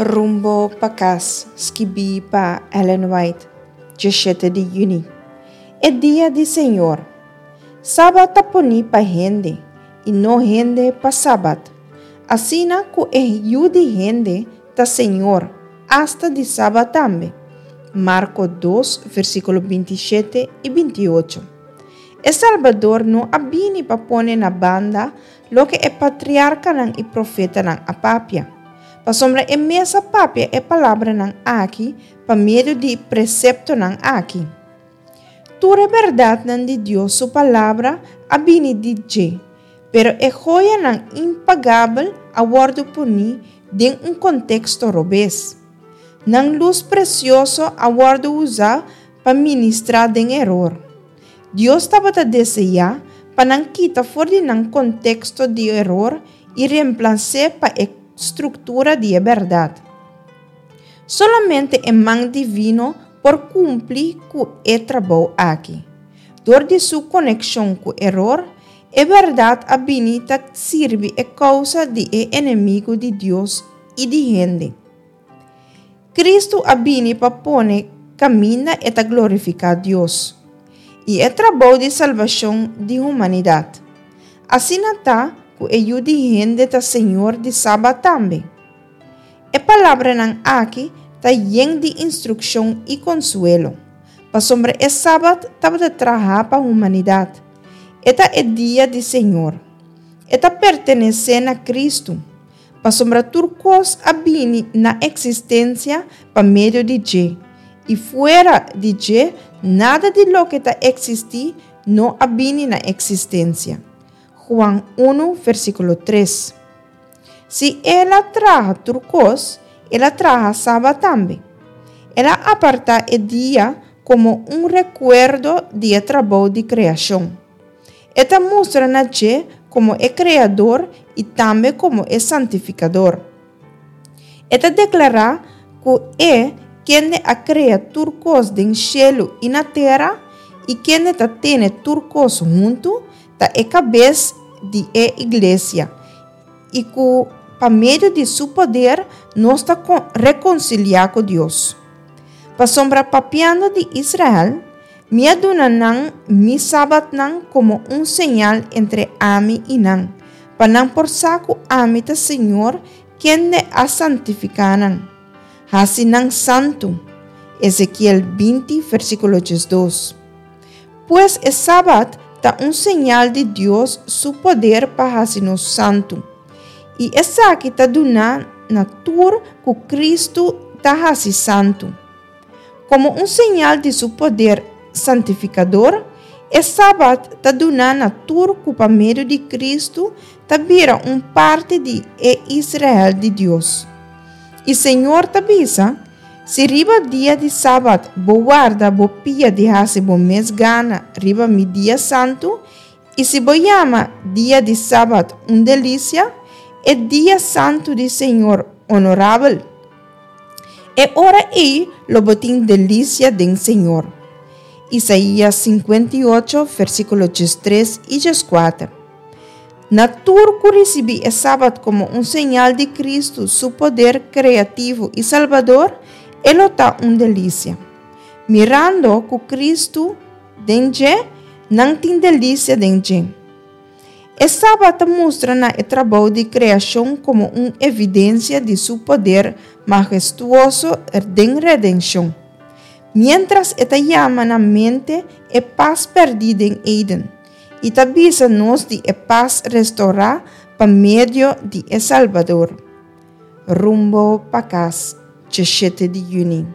Rumbo pa kas, skibí pa Ellen White, 17 di yüni. E dia di Señor. Sabat ta poní pa hende, i no hende pa sabat. Asina ku e Yu di hende ta Señor, asta di sabat tambe. Marko dos, versíkulo 27 i 28. E Salbador no a bini pa pone na banda loke e patriarkanan i profetanan a papia, pasobra e mes a papia e palabranan aki pa medio di preseptonan aki. Tur e bèrdatnan di Dios su Palabra a bini di dje, pero e hoyanan impagabel a wòrdu poní den un konteksto robes. Nan lus presioso a wòrdu usá pa ministrá den eror. Dios tabata deseá pa nan kita for di nan konteksto di eror i remplas'é pa e struktura di e bèrdat. Solamente e man divino por kumpli ku e trabou aki. Dor di su konekshon ku eror, e bèrdat a bini ta sirbi e kousa di e enemigu di Dios i di hende. Kristu a bini pa pone kaminda e ta glorifiká Dios i e trabou di salbashon di humanidat. Asina ta ku e Yu di hende ta Señor di Sabat tambe. E palabranan aki ta yen di instrukshon i konsuelo, pasobra e Sabat tabata trahá pa humanidat. E ta e dia di Señor. E ta pertenesé na Kristu. Pasobra tur kos a bini na eksistensia pa medio di dje, i fuera di dje nada di loke ta eksistí no a bini na eksistensia. Juan unu, versíkulo tres. Si El a traha tur kos, El a traha Sabat tambe. El a apartá e dia komo un rekuerdo di e trabou di kreashon. E ta mustra na dje komo e Kreador i tambe komo e Santifikador. E ta deklará ku E, kende a krea tur kos den shelu i na tera i kende ta tene tur kos huntu, ta e kabes di e iglesia i ku pa medio di su poder nos ta rekonsiliá ku Dios. Pasobra papiando di Israel, Mi a duna nan mi sabatnan komo un señal entre ami i nan, pa nan por sa ku ami ta señor kende a santifiká nan, hasi nan santu. Ezekiel 20, versíkulo 12. Pues e sabat ta un señal di Dios su poder pa hasi nos santu, i esaki ta duná na tur ku Kristu ta hasi santu. Komo un señal di su poder santifikador, e Sabat ta duná na tur ku pa medio di Kristu ta bira un parti di e Israel di Dios. I Señor ta bisa, Si riba dia di Sabat bo warda bo pia di hasi bo mes gana riba mi dia santu, i si bo yama dia di Sabat un delisia, e dia santu di Señor onorabel, E ora ei lo bo tin delisia den Señor. Isaías 58, versíkulo 13 i 14. Na tur ku risibí e Sabat komo un señal di Kristu su poder kreativo i salbador, e lo ta un delisia. Mirando ku Kristu den dje, nan tin delisia den dje. E Sabat ta mustra na e trabou di kreashon komo un evidensia di su poder mahestuoso den redenshon, miéntras e ta yama na mente e pas pèrdí den Eden i ta bisa nos di e pas restourá pa medio di e Salbador. Rumbo pa kas, 17 di yüni.